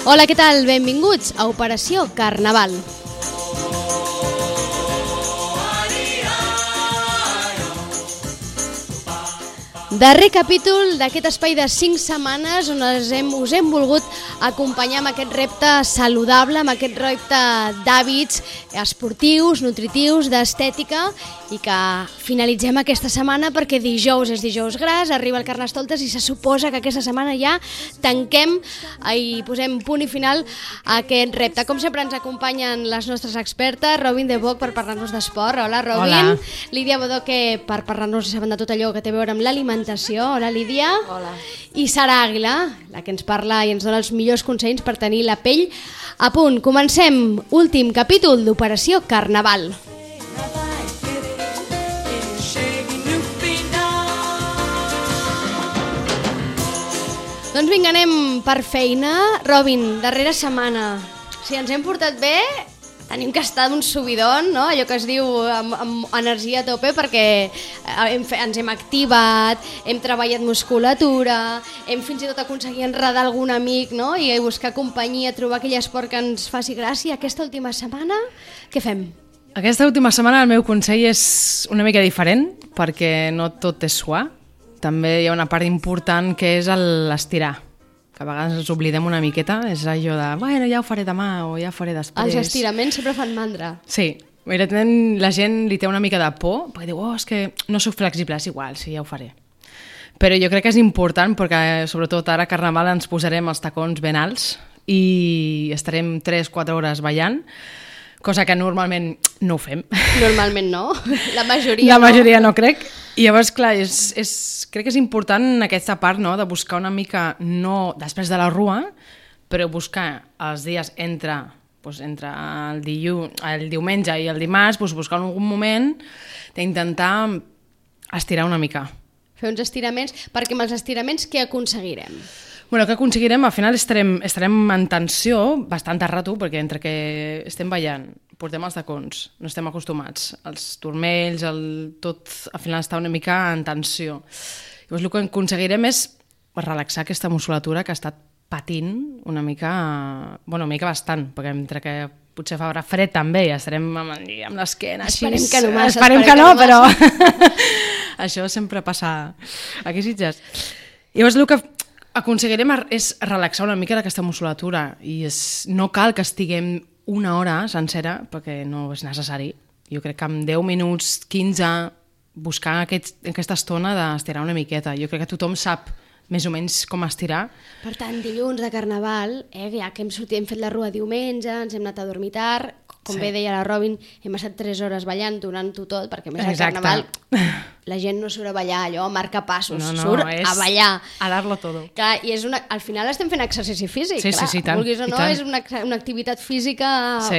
Hola, què tal? Benvinguts a Operació Carnaval. Darrer capítol d'aquest espai de 5 setmanes on us hem volgut acompanyar amb aquest repte saludable, amb aquest repte d'hàbits esportius, nutritius, d'estètica, i que finalitzem aquesta setmana perquè dijous és dijous gras, arriba el Carnestoltes i se suposa que aquesta setmana ja tanquem i posem punt i final a aquest repte. Com sempre ens acompanyen les nostres expertes, Robin de Boc per parlar-nos d'esport. Hola, Robin. Hola. Lídia Bodoque per parlar-nos de tot allò que té a veure amb l'alimentació. Hola, Lídia. Hola. I Sara Àguila, la que ens parla i ens dona els millors consells per tenir la pell a punt. Comencem, últim capítol d'Operació Carnaval. Doncs vinga, anem per feina. Robin, darrera setmana, si ens hem portat bé, tenim que estar d'un subidon, no? Allò que es diu amb energia a tope, perquè ens hem activat, hem treballat musculatura, hem fins i tot aconseguit enredar algun amic, no? I buscar companyia, trobar aquell esport que ens faci gràcia. Aquesta última setmana, què fem? Aquesta última setmana el meu consell és una mica diferent, perquè no tot és suar. També hi ha una part important que és l'estirar, que a vegades ens oblidem una miqueta, és allò de, bueno, ja ho faré demà o ja ho faré després. Els estiraments sempre fan mandra. Sí, la gent li té una mica de por, perquè diu, és que no soc flexible, és igual, sí, ja ho faré. Però jo crec que és important, perquè sobretot ara a Carnaval ens posarem els tacons ben alts i estarem 3-4 hores ballant, cosa que normalment no ho fem. Normalment no, la majoria no crec. I llavors, clar, crec que és important aquesta part, no?, de buscar una mica, no després de la rua, però buscar els dies entre el diumenge i el dimarts, buscar algun moment d'intentar estirar una mica. Fer uns estiraments, perquè amb els estiraments què aconseguirem? Bueno, què aconseguirem? Al final estarem en tensió bastant de rato, perquè entre que estem ballant, portem els tacons, no estem acostumats, els turmells, tot al final està una mica en tensió. Llavors el que aconseguirem és relaxar aquesta musculatura que ha estat patint una mica, bueno, una mica bastant, perquè entre que potser farà fred també i estarem amb l'esquena així. Esperem que no, però això sempre passa aquí a Sitges. Llavors el que aconseguirem és relaxar una mica aquesta musculatura i no cal que estiguem una hora sencera perquè no és necessari. Jo crec que en 10 minuts, 15, buscar aquesta estona d'estirar una miqueta. Jo crec que tothom sap més o menys com estirar. Per tant, dilluns de Carnaval, ja que hem fet la rua diumenge, ens hem anat a dormir tard, com bé deia la Robin, hem estat 3 hores ballant, donant-ho tot, perquè més al Carnaval la gent no surt a ballar allò, marca passos, surt a ballar. A dar-lo todo. Clar, i al final estem fent exercici físic, clar, tant, vulguis o no, és una activitat física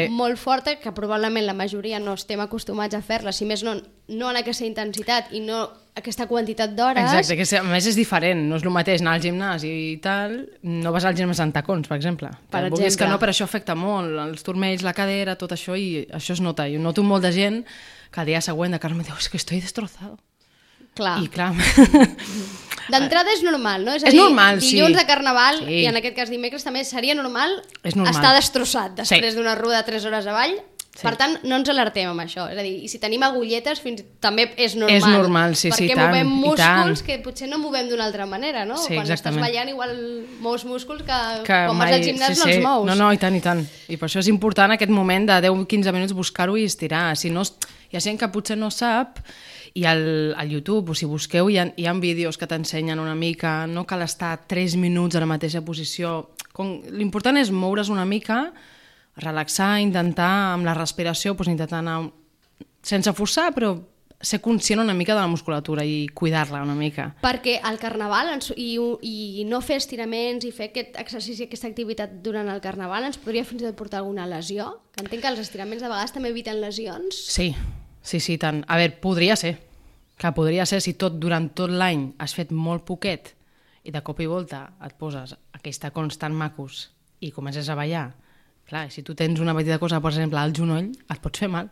molt forta que probablement la majoria no estem acostumats a fer-la, si més no en aquesta intensitat i no aquesta quantitat d'hores. Exacte, que a més és diferent, no és el mateix anar al gimnàs i tal, no vas al gimnàs en tacons, per exemple. Vulguis que no, però això afecta molt, els turmells, la cadera, tot això, i això es nota. Jo noto molt de gent que el dia següent de Carme diu, és que estoy destrozado. Clar. I clar... D'entrada és normal, no? És a dir, dilluns de Carnaval, i en aquest cas dimecres també seria normal estar destrossat després d'una ruda de 3 hores avall. Per tant, no ens alertem amb això. És a dir, i si tenim agulletes, també és normal. És normal, sí, perquè tant. Movem músculs que potser no movem d'una altra manera, no? Sí, quan estàs ballant igual mous músculs que quan vas al gimnàs no els mous. No, i tant, i tant. I per això és important aquest moment de 10-15 minuts buscar-ho i estirar. Si no, hi ha gent que potser no sap, i al YouTube, o si busqueu, hi ha vídeos que t'ensenyen una mica, no cal estar 3 minuts a la mateixa posició. L'important és moure's una mica, relaxar, intentar amb la respiració, intentar anar sense forçar, però ser conscient una mica de la musculatura i cuidar-la una mica. Perquè al Carnaval i no fer estiraments i fer aquest exercici, aquesta activitat durant el Carnaval ens podria fins i tot portar alguna lesió? Que entenc que els estiraments de vegades també eviten lesions. Sí, tant. A veure, podria ser si durant tot l'any has fet molt poquet i de cop i volta et poses aquells tacons tan macos i comences a ballar. Clar, si tu tens una petita cosa, per exemple, al genoll, et pots fer mal.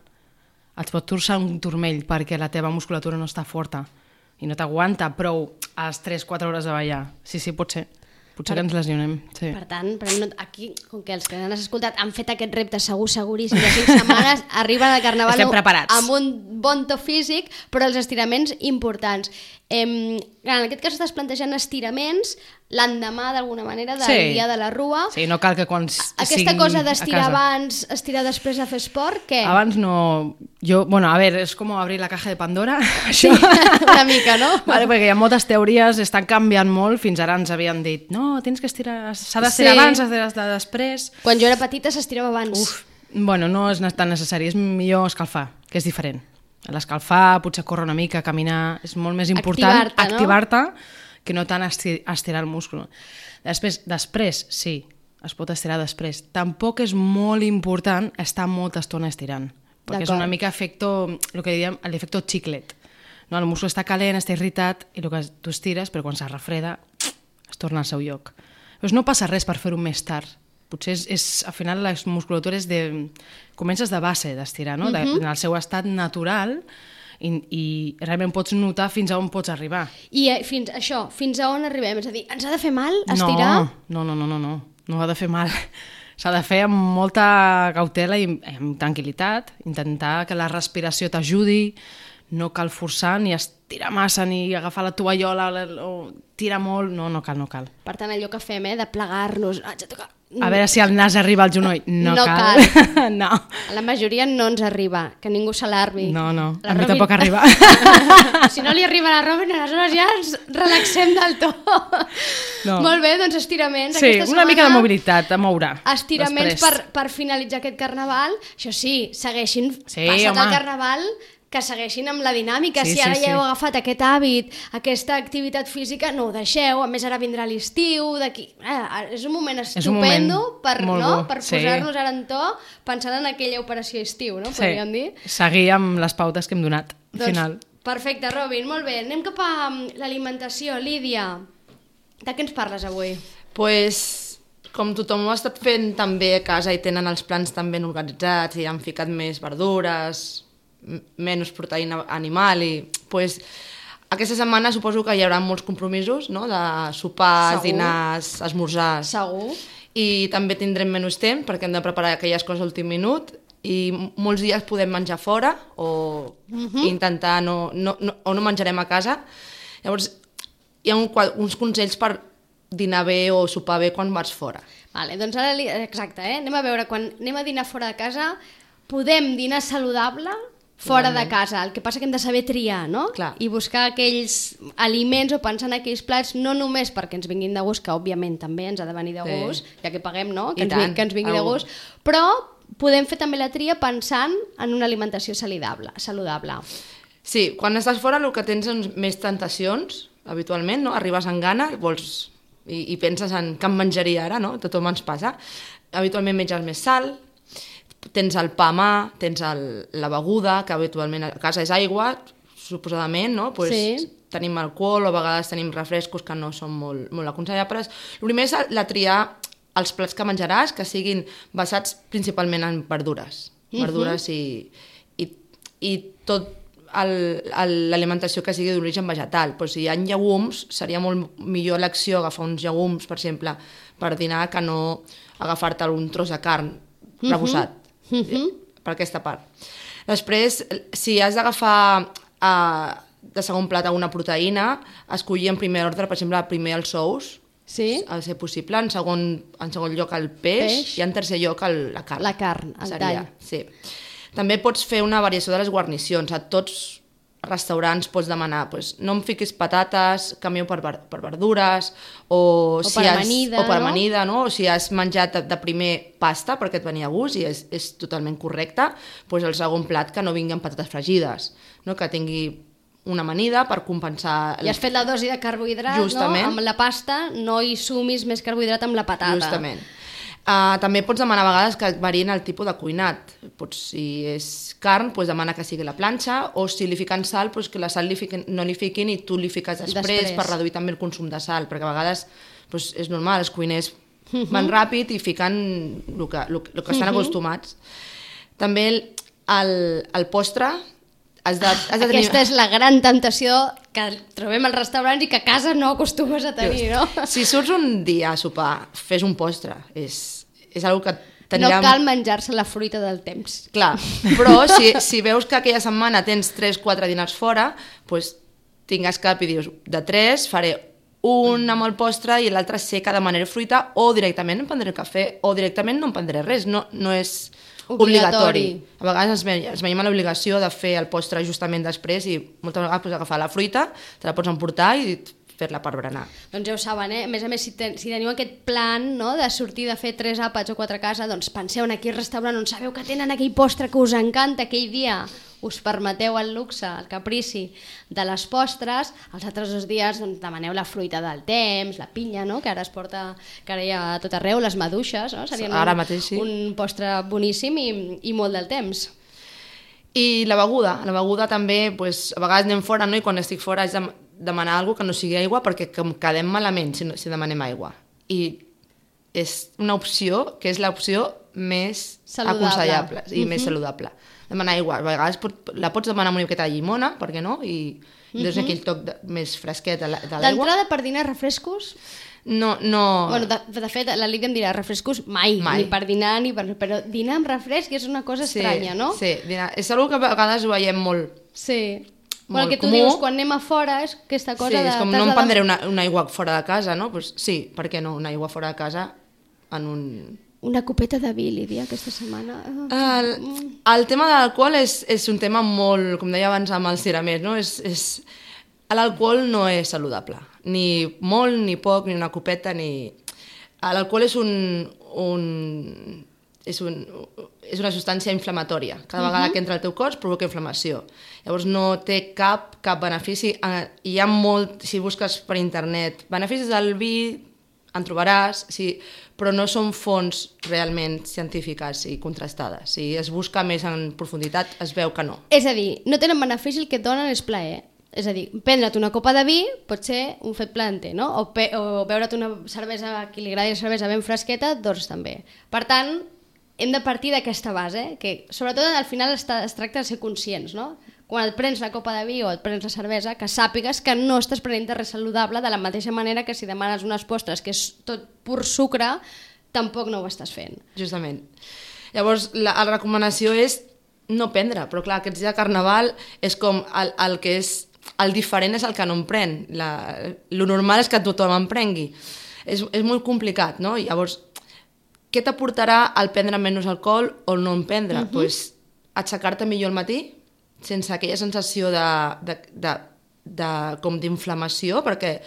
Et pot torçar un turmell perquè la teva musculatura no està forta i no t'aguanta prou a les 3-4 hores de ballar. Sí, pot ser. Potser que ens lesionem, sí. Per tant, aquí, com que els que han escoltat han fet aquest repte seguríssim de 5 setmanes, arriben al Carnaval amb un bon to físic, però els estiraments importants. En aquest cas estàs plantejant estiraments l'endemà, d'alguna manera, del dia de la Rua. Sí, no cal que quan aquesta cosa d'estirar abans, estirar després de fer esport, què? Abans no... Bueno, a veure, és com obrir la caja de Pandora. Sí, una mica, no? Vale, perquè hi ha moltes teories, estan canviant molt. Fins ara ens havien dit, no, tens que estirar, s'ha d'estirar abans, s'ha d'estirar després. Quan jo era petita s'estirava abans. Bueno, no és tan necessari, és millor escalfar, que és diferent. L'escalfar, potser córrer una mica, caminar, és molt més important activar-te que no tant estirar el múscul. Després, sí, es pot estirar després. Tampoc és molt important estar molta estona estirant, perquè és una mica el que diem l'efecte xiclet. No, el múscul està calent, està irritat, i el que tu estires, però quan se refreda, es torna al seu lloc. Doncs no passa res per fer-ho més tard. Potser al final la musculatura comences de base d'estirar, no? En el seu estat natural, i realment pots notar fins a on pots arribar. I fins a on arribem? És a dir, ens ha de fer mal estirar? No ha de fer mal. S'ha de fer amb molta cautela i amb tranquil·litat, intentar que la respiració t'ajudi, no cal forçar ni estirar massa ni agafar la tovallola o tirar molt, no cal. Per tant, allò que fem, de plegar-nos, a veure si el nas arriba al genoll. No cal. No. A la majoria no ens arriba, que ningú s'alarmi. No, a mi tampoc arriba. Si no li arriba a la Robin, aleshores ja ens relaxem del tot. No. Molt bé, doncs estiraments. Sí, una mica de mobilitat, a moure. Estiraments per finalitzar aquest Carnaval. Això sí, segueixin passat el Carnaval, que segueixin amb la dinàmica. Si ara ja heu agafat aquest hàbit, aquesta activitat física, no ho deixeu. A més, ara vindrà l'estiu, d'aquí... És un moment estupendo per posar-nos ara en to pensant en aquella operació estiu, no? Podríem dir. Seguir amb les pautes que hem donat, al final. Perfecte, Robin, molt bé. Anem cap a l'alimentació. Lídia, de què ens parles avui? Com tothom ho ha estat fent també a casa i tenen els plans tan ben organitzats i han ficat més verdures, menys proteïna animal, i aquesta setmana suposo que hi haurà molts compromisos, no? De sopars, dinars, esmorzars. Segur. I també tindrem menys temps perquè hem de preparar aquelles coses a l'últim minut, i molts dies podem menjar fora o intentar no menjarem a casa. Llavors hi ha uns consells per dinar bé o sopar bé quan vas fora. Vale, doncs ara, exacte, anem a veure, quan anem a dinar fora de casa podem dinar saludable fora de casa, el que passa que hem de saber triar, no? Clar. I buscar aquells aliments o pensar en aquells plats, no només perquè ens vinguin de gust, que òbviament també ens ha de venir de gust, ja que paguem, no? Que ens vingui de gust, però podem fer també la tria pensant en una alimentació saludable. Sí, quan estàs fora el que tens són més tentacions, habitualment, no? Arribes amb gana i penses en què em menjaria ara, no? Tothom ens passa. Habitualment menges més sal, tens el pa a mà, tens la beguda, que habitualment a casa és aigua, suposadament, no? Tenim alcohol o a vegades tenim refrescos que no són molt aconsellables. El primer és la triar els plats que menjaràs, que siguin basats principalment en verdures. Verdures i tot l'alimentació que sigui d'origen vegetal. Però si hi ha llegums, seria molt millor l'acció agafar uns llegums, per exemple, per dinar, que no agafar-te un tros de carn rebossat. Per aquesta part. Després, si has d'agafar de segon plat alguna proteïna, escollir en primer ordre, per exemple, primer els ous, a ser possible, en segon lloc el peix i en tercer lloc la carn. La carn, el tall. Sí. També pots fer una variació de les guarnicions. A tots restaurants pots demanar, no em fiquis patates, canvio per verdures, o per amanida, no? O si has menjat de primer pasta perquè et venia a gust i és totalment correcte, el segon plat que no vingui amb patates fregides, no? Que tingui una amanida per compensar... I has fet la dosi de carbohidrat, no? Amb la pasta no hi sumis més carbohidrat amb la patata. Justament. També pots demanar a vegades que varien el tipus de cuinat. Si és carn, demana que sigui la planxa, o si li fiquen sal, que la sal no li fiquin i tu li fiques després per reduir també el consum de sal, perquè a vegades és normal, els cuiners van ràpid i fiquen el que estan acostumats. També el postre has de tenir... Aquesta és la gran temptació que trobem als restaurants i que a casa no acostumes a tenir, no? Si surts un dia a sopar, fes un postre. És una que No cal menjar-se la fruita del temps. Clar, però si veus que aquella setmana tens 3-4 dinars fora, doncs tingues cap i dius, de 3 faré un amb el postre i l'altre sé que demanaré fruita o directament em prendré cafè o directament no em prendré res, no és obligatori. A vegades ens veiem a l'obligació de fer el postre justament després i moltes vegades pots agafar la fruita, te la pots emportar i fer-la per berenar. Doncs ja ho saben, A més a més, si teniu aquest plan, no?, de sortir de fer 3 àpats o 4 a casa, doncs penseu en aquell restaurant on sabeu que tenen aquell postre que us encanta aquell dia, us permeteu el luxe, el caprici de les postres, els altres 2 dies doncs, demaneu la fruita del temps, la pinya, no?, que ara es porta, que ara hi ha a tot arreu, les maduixes, no?, serien ara mateix, sí. Un postre boníssim i molt del temps. I la beguda també, doncs, a vegades anem fora, no?, i quan estic fora és demanar alguna que no sigui aigua perquè em quedem malament si demanem aigua. I és una opció que és l'opció més aconsellable i més saludable. Demanar aigua. A vegades la pots demanar amb una miqueta de llimona, per què no? I dones aquell toc més fresquet de l'aigua. D'entrada, per dinar refrescos? No. Bueno, de fet, la Lídia em dirà refrescos mai. Ni per dinar, però dinar amb refresc és una cosa estranya, no? Sí, dinar. És una que a vegades ho veiem molt. Sí. Bueno, el que tu dius, quan anem a fora, és aquesta cosa de... Sí, és com no em prendré una aigua fora de casa, no? Pues sí, per què no? Una aigua fora de casa en un... Una copeta de vi, Lídia, aquesta setmana. El tema de l'alcohol és un tema molt, com deia abans amb els tiramers, no? L'alcohol no és saludable. Ni molt, ni poc, ni una copeta, ni... L'alcohol és és una substància inflamatòria. Cada vegada que entra al teu cos provoca inflamació. Llavors no té cap benefici. Hi ha molt, si busques per internet, beneficis del vi, en trobaràs, però no són fonts realment científiques i contrastades. Si es busca més en profunditat, es veu que no. És a dir, no tenen benefici, el que et donen és plaer. És a dir, prendre't una copa de vi pot ser un fet planter, no? O beure't una cervesa, a qui li agradi la cervesa ben fresqueta, doncs també. Per tant, hem de partir d'aquesta base, que sobretot al final es tracta de ser conscients, no? Quan et prens la copa de vi o et prens la cervesa, que sàpigues que no estàs prenent res saludable, de la mateixa manera que si demanes unes postres que és tot pur sucre, tampoc no ho estàs fent. Justament. Llavors, la recomanació és no prendre, però clar, aquests dies de Carnaval és com el que és... El diferent és el que no em pren. Lo normal és que tothom em prengui. És molt complicat, no? Llavors, què t'aportarà el prendre menys alcohol o no en prendre? Pues, aixecar-te millor al matí, sense aquella sensació com d'inflamació, perquè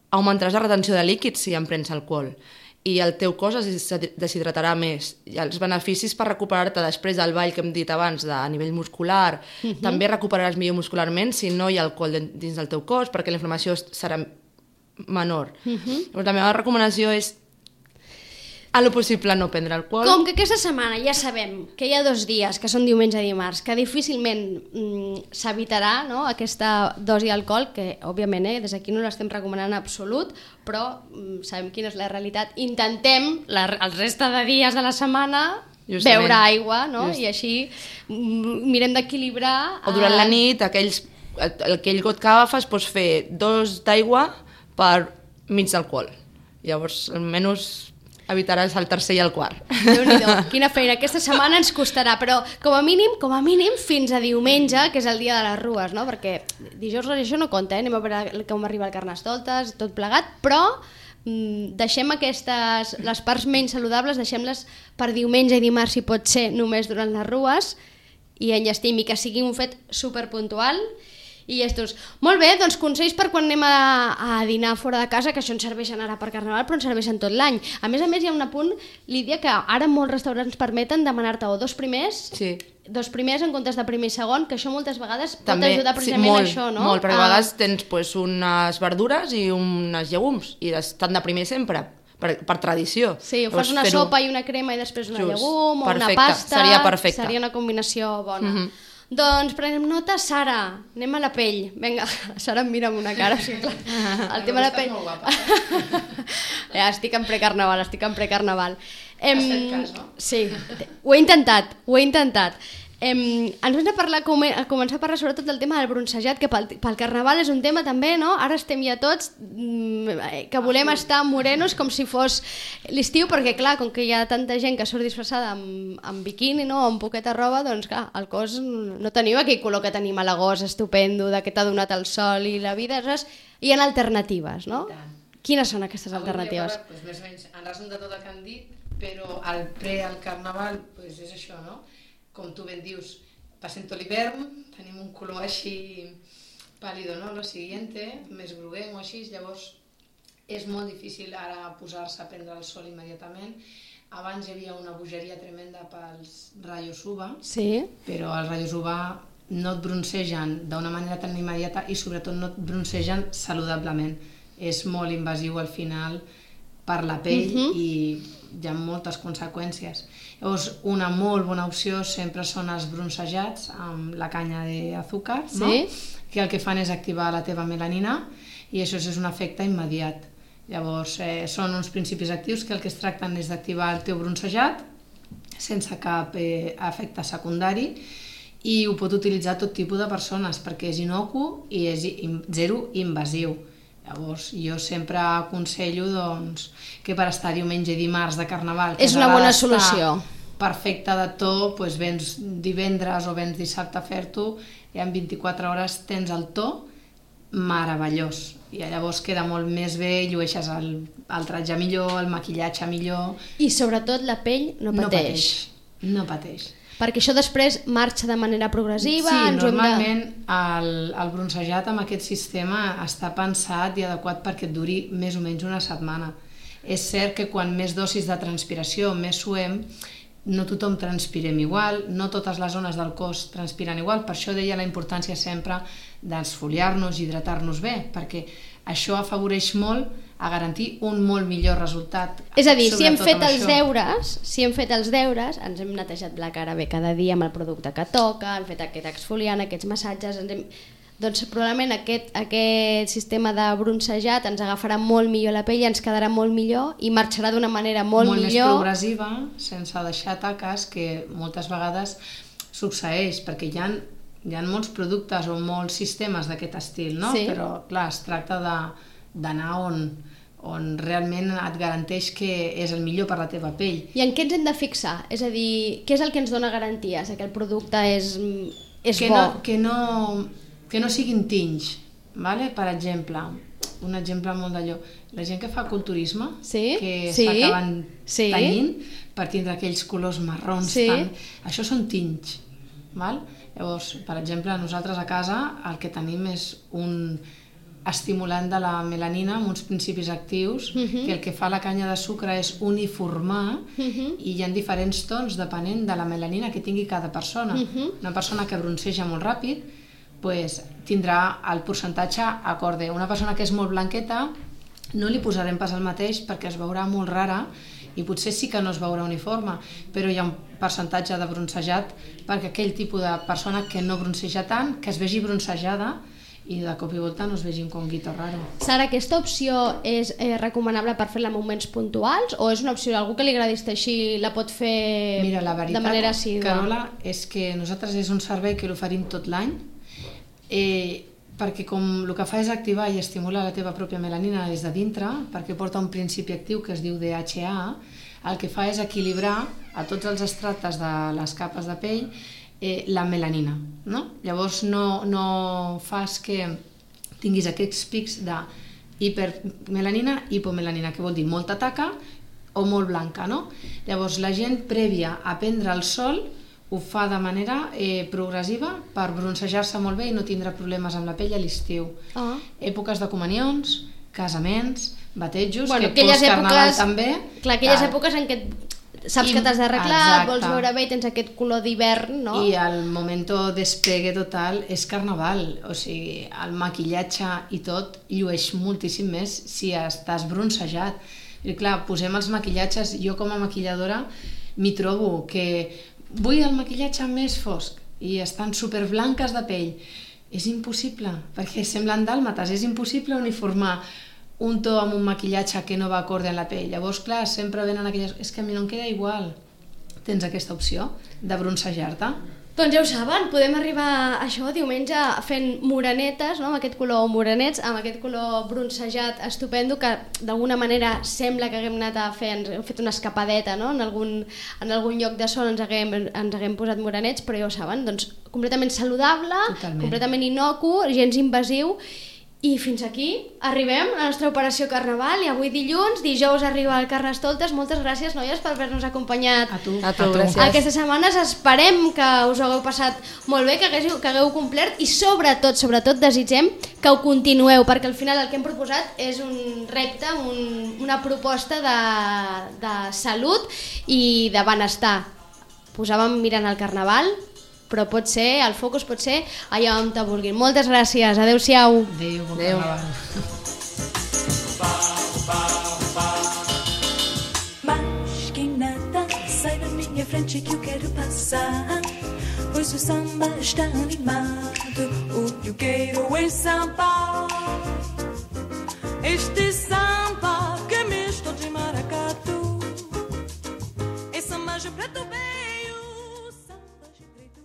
augmentaràs la retenció de líquids si en prens alcohol. I el teu cos es deshidratarà més. I els beneficis per recuperar-te després del ball que hem dit abans a nivell muscular, també recuperaràs millor muscularment si no hi ha alcohol dins del teu cos, perquè la inflamació serà menor. La meva recomanació és a lo possible no prendre alcohol. Com que aquesta setmana ja sabem que hi ha 2 dies, que són diumenge i dimarts, que difícilment s'evitarà, no?, aquesta dosi d'alcohol, que òbviament des d'aquí no l'estem recomanant en absolut, però sabem quina és la realitat. Intentem el reste de dies de la setmana beure aigua, no? I així mirem d'equilibrar... O durant la nit, aquell got que agafes, pots fer 2 d'aigua per mig d'alcohol. Llavors, almenys... evitaràs el tercer i el quart. Déu-n'hi-do, quina feina. Aquesta setmana ens costarà, però com a mínim, fins a diumenge, que és el dia de les rues, no? Perquè dijous això no compta, anem a veure com arriba el Carnestoltes, tot plegat, però deixem les parts menys saludables, deixem-les per diumenge i dimarts, si pot ser, només durant les rues, i enllestim, i que sigui un fet superpuntual. I estos. Molt bé, doncs consells per quan anem a dinar fora de casa, que això ens serveixen ara per Carnaval, però ens serveixen tot l'any. A més, hi ha un apunt, Lídia, que ara molts restaurants permeten demanar-te o 2 primers, 2 primers en comptes de primer i segon, que això moltes vegades pot ajudar precisament a això, no? Molt, perquè a vegades tens unes verdures i unes llegums, i estan de primer sempre. Per tradició. Sí, ho fas una sopa i una crema i després una llegum, o una pasta. Seria perfecte. Seria una combinació bona. Doncs prenem nota, Sara, anem a la pell. Vinga, Sara em mira amb una cara, sí, clar. El tema de la pell... Molt guapa. Ja, estic en precarnaval. Has fet cas, no? Sí, ho he intentat. Ens hem de començar a parlar sobretot del tema del bronzejat, que pel Carnaval és un tema també, no? Ara estem ja tots que volem estar morenos com si fos l'estiu, perquè clar, com que hi ha tanta gent que surt disfressada amb biquini, no? O amb poqueta roba, doncs clar, el cos no teniu aquell color que tenim a l'agost estupendo, de que t'ha donat el sol i la vida, saps? Hi ha alternatives, no? Quines són aquestes alternatives? Pues més o menys, en resum de tot el que han dit, però al Carnaval pues és això, no? Com tu ben dius, passem tot l'hivern, tenim un color així pàlido, no? Lo siguiente, més groguenc o així, llavors és molt difícil ara posar-se a prendre el sol immediatament. Abans hi havia una bogeria tremenda pels rayos UVA, sí, però els rayos UVA no et broncegen d'una manera tan immediata i sobretot no et broncegen saludablement. És molt invasiu al final per la pell i hi ha moltes conseqüències. Llavors, una molt bona opció sempre són els broncejats amb la canya d'azúcar, no? Que el que fan és activar la teva melanina i això és un efecte immediat. Llavors, són uns principis actius que el que es tracten és d'activar el teu broncejat sense cap efecte secundari i ho pot utilitzar tot tipus de persones perquè és inocu i és zero invasiu. Llavors, jo sempre aconsello doncs, que per estar diumenge i dimarts de Carnaval... És una bona solució. Perfecte de to, doncs vens divendres o vens dissabte a fer-t'ho i en 24 hores tens el to meravellós. I llavors queda molt més bé, llueixes el tratge millor, el maquillatge millor... I sobretot la pell no pateix. No pateix. Perquè això després marxa de manera progressiva... Sí, normalment el broncejat amb aquest sistema està pensat i adequat perquè et duri més o menys una setmana. És cert que quan més dosis de transpiració, més suem, no tothom transpirem igual, no totes les zones del cos transpiren igual, per això deia la importància sempre d'esfoliar-nos i hidratar-nos bé, perquè això afavoreix molt a garantir un molt millor resultat. És a dir, si hem fet els deures, ens hem netejat la cara bé cada dia amb el producte que toca, hem fet aquest exfoliant, aquests massatges, doncs probablement aquest sistema de broncejat ens agafarà molt millor la pell, ens quedarà molt millor i marxarà d'una manera molt millor. Molt més progressiva, sense deixar taques, que moltes vegades succeeix, perquè hi ha molts productes o molts sistemes d'aquest estil, no? Sí. Però clar, es tracta d'anar on realment et garanteix que és el millor per la teva pell. I en què ens hem de fixar? És a dir, què és el que ens dona garanties? Que el producte és bo? Que no siguin tinys, ¿vale? Per exemple, un exemple molt d'allò, la gent que fa culturisme, que s'acaben tenyint per tindre aquells colors marrons, això són tinys, val? Llavors, per exemple, nosaltres a casa el que tenim és un estimulant de la melanina amb uns principis actius que el que fa la canya de sucre és uniformar i hi ha diferents tons depenent de la melanina que tingui cada persona. Una persona que bronceja molt ràpid tindrà el percentatge acorde. Una persona que és molt blanqueta no li posarem pas el mateix perquè es veurà molt rara i potser sí que no es veurà uniforme, però hi ha un percentatge de broncejat perquè aquell tipus de persona que no bronceja tant, que es vegi broncejada i de cop i volta no es vegi un conguito raro. Sara, aquesta opció és recomanable per fer-la en moments puntuals o és una opció, algú que li agradi estar així la pot fer de manera assídua? Carola, és que nosaltres és un servei que l'oferim tot l'any perquè com el que fa és activar i estimular la teva pròpia melanina des de dintre, perquè porta un principi actiu que es diu DHA, el que fa és equilibrar a tots els estrates de les capes de pell la melanina, no? Llavors no fas que tinguis aquests pics de hipermelanina, hipomelanina, que vol dir molta taca o molt blanca, no? Llavors la gent prèvia a prendre el sol ho fa de manera progressiva per broncejar-se molt bé i no tindre problemes amb la pell a l'estiu. Èpoques de comunions, casaments, batejos, que post-carnaval també. Clar, aquelles èpoques en què saps que t'has d'arreglar, et vols veure bé i tens aquest color d'hivern, no? I el momento despegue total és carnaval, o sigui, el maquillatge i tot llueix moltíssim més si estàs broncejat. I clar, posem els maquillatges, jo com a maquilladora m'hi trobo que vull el maquillatge més fosc i estan superblanques de pell. És impossible, perquè semblen dàlmates, és impossible uniformar un to amb un maquillatge que no va acorde en la pell. Llavors, clar, sempre venen aquelles... És que a mi no em queda igual. Tens aquesta opció de broncejar-te. Doncs ja ho saben, podem arribar a això diumenge fent morenetes, no? Amb aquest color morenets, amb aquest color bronzejat estupendo, que d'alguna manera sembla que haguem anat a fer, hem fet una escapadeta, no? En algun lloc de sol ens haguem posat morenets, però ja ho saben, doncs completament saludable, completament innocu, gens invasiu. I fins aquí arribem a la nostra operació Carnaval, i avui dijous arriba el Carnestoltes. Moltes gràcies, noies, per haver-nos acompanyat a tu, gràcies. Aquestes setmanes. Esperem que us ho hagueu passat molt bé, que hagueu complert, i sobretot desitgem que ho continueu, perquè al final el que hem proposat és un repte, una proposta de salut i de benestar. Posàvem mirant el Carnaval, però pot ser, el focus pot ser allà on te vulguin. Moltes gràcies, adeu-siau. Adéu, bon Carnaval. Mas quem nada, sai da minha frente que eu quero passar, pois o samba está animado, o que eu quero é samba. Este samba que é misto de maracatu, esse samba de preto.